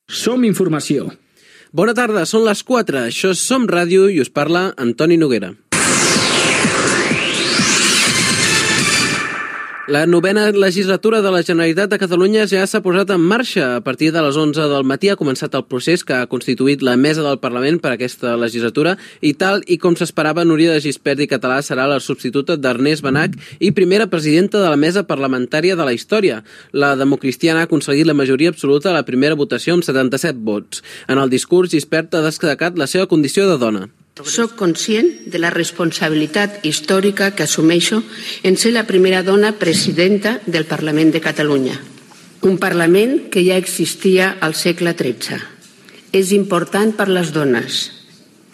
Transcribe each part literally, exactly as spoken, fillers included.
Som Informació. Bona tarda, són les quatre. Això és Som Ràdio i us parla Antoni Noguera. La novena legislatura de la Generalitat de Catalunya ja s'ha posat en marxa. A partir de les onze del matí ha començat el procés que ha constituït la mesa del Parlament per a aquesta legislatura i tal i com s'esperava, Núria de Gispert i Català serà la substituta d'Ernest Benach i primera presidenta de la mesa parlamentària de la història. La democristiana ha aconseguit la majoria absoluta a la primera votació amb setanta-set vots. En el discurs, Gispert ha destacat la seva condició de dona. Soc conscient de la responsabilitat històrica que assumeixo en ser la primera dona presidenta del Parlament de Catalunya. Un Parlament que ja existia al segle tretze. És important per les dones,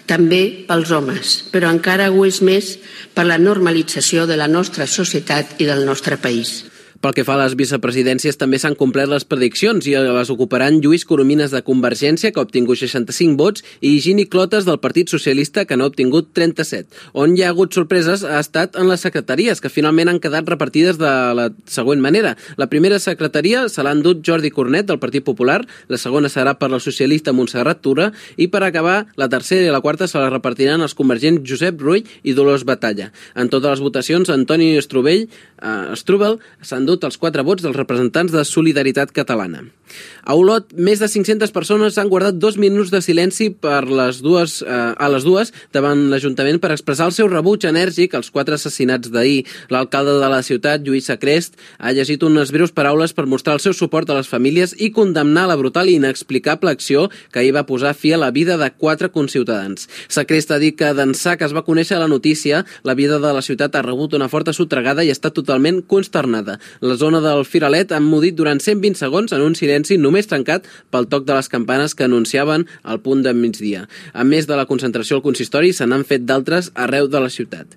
també pels homes, però encara ho és més per la normalització de la nostra societat i del nostre país. Pel que fa a les vicepresidències, també s'han complert les prediccions i les ocuparan Lluís Coromines de Convergència, que ha obtingut seixanta-cinc vots, i Higini Clotas del Partit Socialista, que n'ha obtingut trenta-set. On hi ha hagut sorpreses ha estat en les secretaries, que finalment han quedat repartides de la següent manera. La primera secretaria se l'ha endut Jordi Cornet, del Partit Popular, la segona serà per la socialista Montserrat Tura, i per acabar, la tercera i la quarta se la repartiran els convergents Josep Rull i Dolors Batalla. En totes les votacions, Antoni Strubell, eh, Strubel s'ha endut els quatre vots dels representants de Solidaritat Catalana. A Olot, més de cinc-centes persones han guardat dos minuts de silenci per les dues, eh, a les dues davant l'Ajuntament per expressar el seu rebuig enèrgic als quatre assassinats d'ahir. L'alcalde de la ciutat, Lluís Sacrest, ha llegit unes breus paraules per mostrar el seu suport a les famílies i condemnar la brutal i inexplicable acció que ahir va posar fi a la vida de quatre conciutadans. Sacrest ha dit que d'ençà que es va conèixer la notícia, la vida de la ciutat ha rebut una forta sotragada i està totalment consternada. La zona del Firalet ha emmudit durant cent vint segons en un silenci només trencat pel toc de les campanes que anunciaven el punt de migdia. A més de la concentració al consistori, se n'han fet d'altres arreu de la ciutat.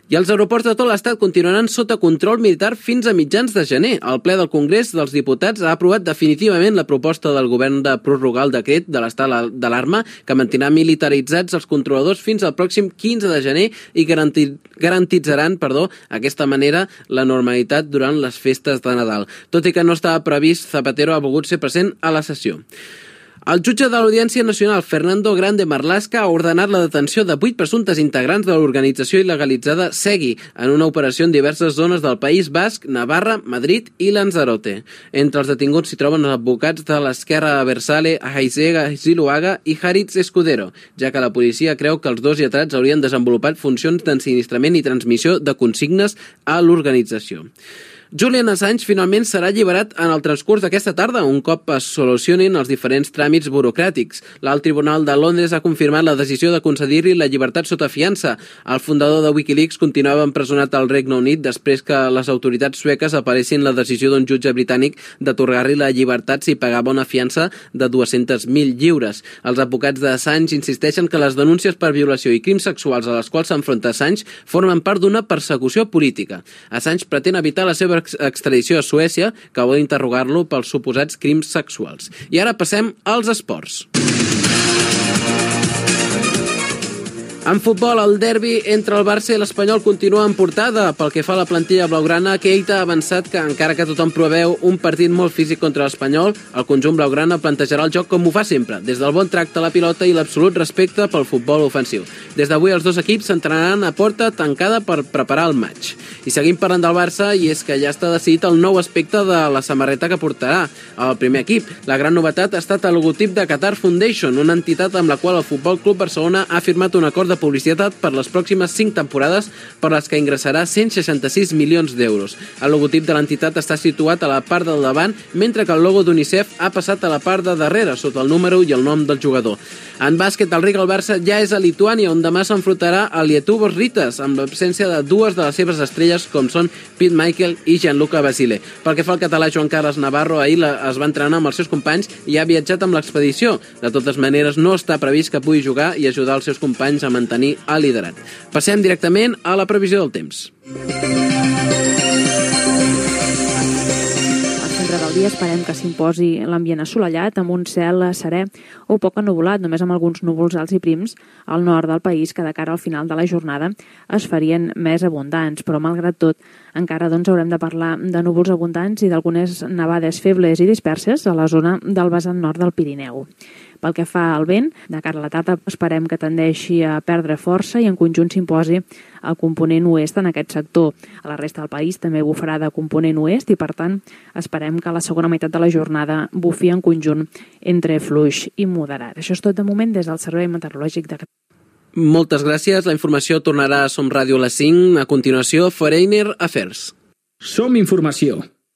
I els aeroports de tot l'estat continuaran sota control militar fins a mitjans de gener. El ple del Congrés dels Diputats ha aprovat definitivament la proposta del govern de prorrogar el decret de l'estat d'alarma que mantindrà militaritzats els controladors fins al pròxim quinze de gener i garantir, garantitzaran perdó, aquesta manera la normalitat durant les festes de Nadal. Tot i que no estava previst, Zapatero ha volgut ser present a la sessió. El jutge de l'Audiència Nacional, Fernando Grande Marlaska, ha ordenat la detenció de vuit presumptes integrants de l'organització il·legalitzada Segui en una operació en diverses zones del País Basc, Navarra, Madrid i Lanzarote. Entre els detinguts s'hi troben els advocats de l'Esquerra Abertzale, Aizega Ziluaga i Haritz Escudero, ja que la policia creu que els dos lletrats haurien desenvolupat funcions d'ensinistrament i transmissió de consignes a l'organització. Julian Assange finalment serà alliberat en el transcurs d'aquesta tarda, un cop es solucionin els diferents tràmits burocràtics. L'Alt Tribunal de Londres ha confirmat la decisió de concedir-li la llibertat sota fiança. El fundador de Wikileaks continuava empresonat al Regne Unit després que les autoritats sueques apareixin la decisió d'un jutge britànic d'atorgar-li la llibertat si pagava una fiança de dues-centes mil lliures. Els advocats d'Assange insisteixen que les denúncies per violació i crims sexuals a les quals s'enfronta Assange formen part d'una persecució política. Assange pretén evitar la seva extradició a Suècia, que vol interrogar-lo pels suposats crims sexuals. I ara passem als esports. En futbol, el derbi entre el Barça i l'Espanyol continua en portada. Pel que fa a la plantilla blaugrana, Keita ha avançat que, encara que tothom preveu un partit molt físic contra l'Espanyol, el conjunt blaugrana plantejarà el joc com ho fa sempre, des del bon tracte a la pilota i l'absolut respecte pel futbol ofensiu. Des d'avui els dos equips s'entrenaran a porta tancada per preparar el maig. I seguim parlant del Barça, i és que ja està decidit el nou aspecte de la samarreta que portarà el primer equip. La gran novetat ha estat el logotip de Qatar Foundation, una entitat amb la qual el Futbol Club Barcelona ha firmat un acord de publicitat per les pròximes cinc temporades per les que ingressarà cent seixanta-sis milions d'euros. El logotip de l'entitat està situat a la part del davant, mentre que el logo d'UNICEF ha passat a la part de darrere, sota el número i el nom del jugador. En bàsquet, el Rigal Barça ja és a Lituània, on demà s'enfrontarà a Lietuvos Ritas, amb l'absència de dues de les seves estrelles, com són Pete Michael i Gianluca Basile. Pel que fa al català Joan Carles Navarro, ahir es va entrenar amb els seus companys i ha viatjat amb l'expedició. De totes maneres, no està previst que pugui jugar i ajudar els seus companys a mantenir el liderat. Passem directament a la previsió del temps. Al centre del dia esperem que s'imposi l'ambient assolellat amb un cel serè o poc ennuvolat, només amb alguns núvols alts i prims al nord del país que de cara al final de la jornada es farien més abundants, però malgrat tot encara doncs, haurem de parlar de núvols abundants i d'algunes nevades febles i disperses a la zona del vessant nord del Pirineu. Pel que fa al vent, de cara a la tarda esperem que tendeixi a perdre força i en conjunt s'imposi el component oest en aquest sector. A la resta del país també bufarà de component oest i, per tant, esperem que a la segona meitat de la jornada bufi en conjunt entre fluix i moderat. Això és tot de moment des del Servei Meteorològic de Catalunya. Moltes gràcies. La informació tornarà a Som Ràdio a les cinc. A continuació, Foreigner Affairs. Som Informació.